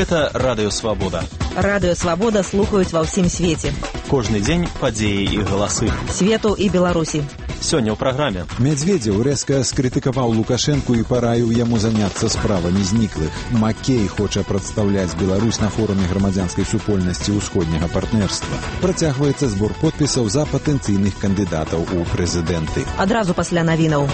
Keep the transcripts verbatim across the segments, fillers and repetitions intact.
Гэта Радыё Свабода. Радыё Свабода слухаюць ва ўсім свеце. Кожны дзень падзеі і галасы. Свету і Беларусі. Сёння ў праграме. Медведзеў рэзка скрытыкаваў Лукашэнку і параіў яму заняцца справамі зніклых. Макей хоча прадстаўляць Беларусь на форуме грамадзянскай супольнасці ўсходняга партнерства. Працягваецца збор подпісаў за патэнцыйных кандыдатаў у прэзідэнты. Адразу пасля навінаў.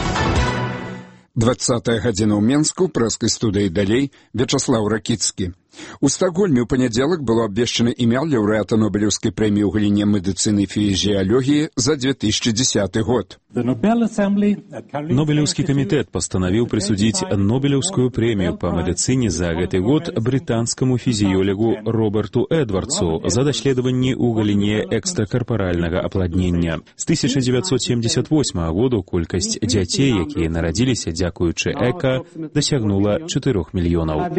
двадцатая гадзіна ў Менску, прэскай студыі далей, Вячаслаў Ракіцкі. У Стакгольме ў панядзелак было абвешчана імя лаўрэата Нобелеўскай прэміі ў галіне медыцыны і фізіялогіі за две тысячи десятый год. Нобелеўскі камітэт пастанавіў прысудзіць Нобелеўскую прэмію па медыцыне за гэты год брытанскаму фізіёлегу Роберту Эдвардсу за даследаванні ў галіне экстракарпаральнага апладнення. З тысяча дзевяцьсот семьдесят восьмага году колькасць дзяцей, якія нарадзіліся дзякуючы эка, дасягнула чатырох мільёнаў.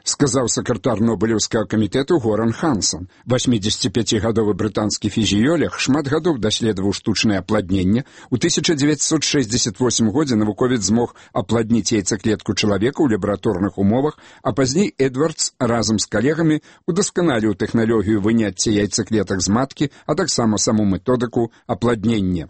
Сказаў сакратар Нобелеўскага камітэту Горан Хансон. восьмідзесяціпяцігадовы брытанскі фізіёлег шмат гадоў даследаваў штучнае апладненне. У тысяча дзевяцьсот шэсцьдзесят восьмым годзе навуковец змог апладніць яйцаклетку чалавека ў лабараторных умовах, а пазней Эдвардс разам з калегамі удасканаліў тэхналогію выняцця яйцаклетак з маткі, а таксама саму методыку апладнення.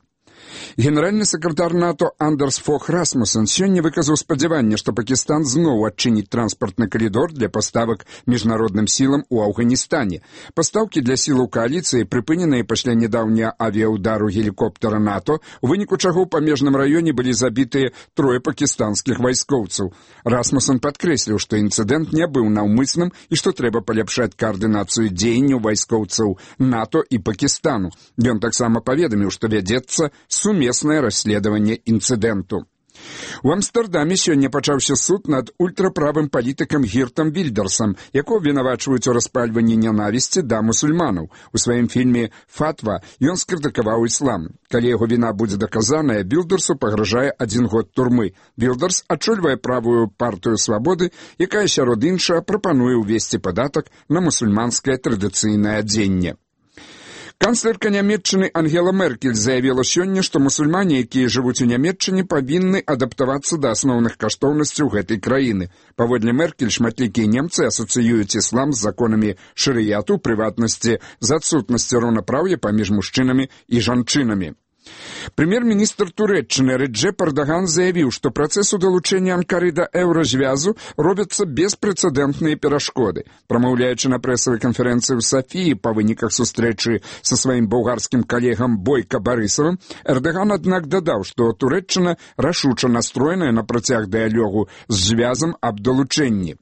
Генеральны сакратар НАТО Андерс Фох Расмуссен сёння выказаў спадзяванне, што Пакістан зноў адчыніць транспартны калідор для паставак міжнародным сілам у Афганістане. Пастаўкі для сілаў кааліцыі прыпыненыя пасля нядаўняга авіяўдару гелікоптера НАТО, у выніку чаго ў памежным раёне былі забітыя трое пакістанскіх вайскоўцаў. Расмуссен падкрэсліў, што інцыдэнт не быў наўмысным і што трэба паляпшаць каардынацыю дзеянняў вайскоўцаў НАТО і Пакістану. Ён таксама паведаміў, што вядзецца сумеснае расследаванне інцыдэнту. У Амстэрдаме сёння пачаўся суд над ультраправым палітыкам Гіртам Вільдерсам, якого вінавачваюць у распальванні нянавісці да мусульманаў. У сваім фільме «Фатва» ён скрытыкаваў іслам. Калі яго віна будзе даказаная, Вільдерсу пагражае адзін год турмы. Вільдерс ачольвае правую партыю свабоды, якая сярод іншага прапануе ўвесці падатак на мусульманскае традыцыйнае адзенне. Канцлерка Нямецчыны Ангела Меркель заявіла сёння, што мусульмане, якія жывуць у Нямецчыне, павінны адаптавацца да асноўных каштоўнасцяў гэтай краіны. Паводле Меркель, шматлікія немцы асацыююць іслам з законамі шарыяту, прыватнасці, з адсутнасці роўнапраўя паміж мужчынамі і жанчынамі. Прэм'ер-міністр Турэччыны Рэджэп Эрдаган заявіў, што працэсу далучэння Анкары да еўразвязу робяцца беспрэцэдэнтныя перашкоды. Прамаўляючы на прэсавай канферэнцыі ў Сафіі па выніках сустрэчы са сваім болгарскім калегам Бойка Барысавым, Эрдаган, аднак, дадаў, што Турэччына рашуча настроеная на працяг дыялогу з звязам аб далучэнні.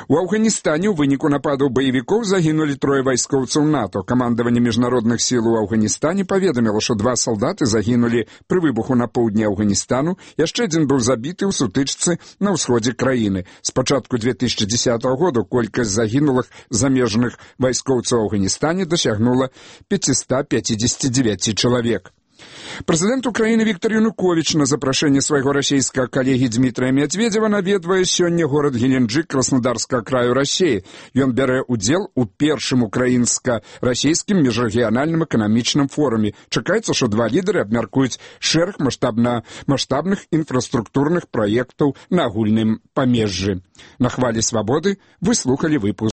У Афганістане ў выніку нападаў баевікоў загінулі трое вайскоўцаў НАТО. Камандаванне міжнародных сіл у Афганістане паведаміла, што два салдаты загінулі пры выбуху на поўдні Афганістану, яшчэ адзін быў забіты ў сутычцы на ўсходзе краіны. З пачатку две тысячи десятого году колькасць загінулых замежных вайскоўцаў у Афганістане дасягнула пятьсот пятьдесят девять чалавек. Прэзідэнт Украіны Віктор Януковіч на запрашэнне свайго расійскага калегі Дмітрыя Медведзева наведвае сёння горад Геленджык Краснодарскага краю Расіі. Ён бярэ ўдзел у першым украінска-расійскім міжрэгіянальным эканамічным форуме. Чакаецца, што два лідары абмяркуюць шэраг маштабна маштабных інфраструктурных праектаў на агульным памежжы. На хвалі свабоды вы слухалі выпуск